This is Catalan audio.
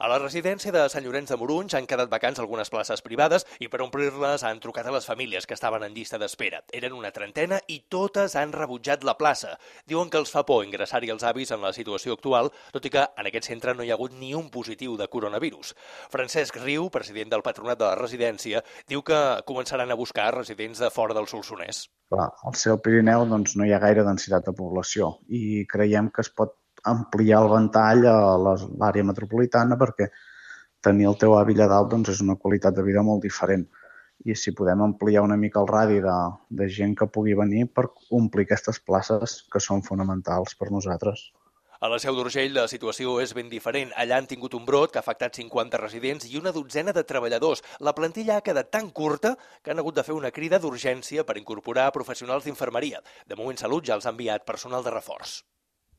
A la residència de Sant Llorenç de Morunys han quedat vacants algunes places privades i per omplir-les han trucat a les famílies que estaven en llista d'espera. Eren una trentena i totes han rebutjat la plaça. Diuen que els fa por ingressar-hi els avis en la situació actual, tot i que en aquest centre no hi ha hagut ni un positiu de coronavirus. Francesc Riu, president del Patronat de la residència, diu que començaran a buscar residents de fora del Solsonès. Clar, al ser el Pirineu no hi ha gaire densitat de població i creiem que es pot ampliar el ventall a l'àrea metropolitana perquè tenir el teu avi allà dalt és una qualitat de vida molt diferent. I si podem ampliar una mica el radi de gent que pugui venir per omplir aquestes places que són fonamentals per nosaltres. A la Seu d'Urgell la situació és ben diferent. Allà han tingut un brot que ha afectat 50 residents i una dotzena de treballadors. La plantilla ha quedat tan curta que han hagut de fer una crida d'urgència per incorporar professionals d'infermeria. De moment Salut ja els ha enviat personal de reforç.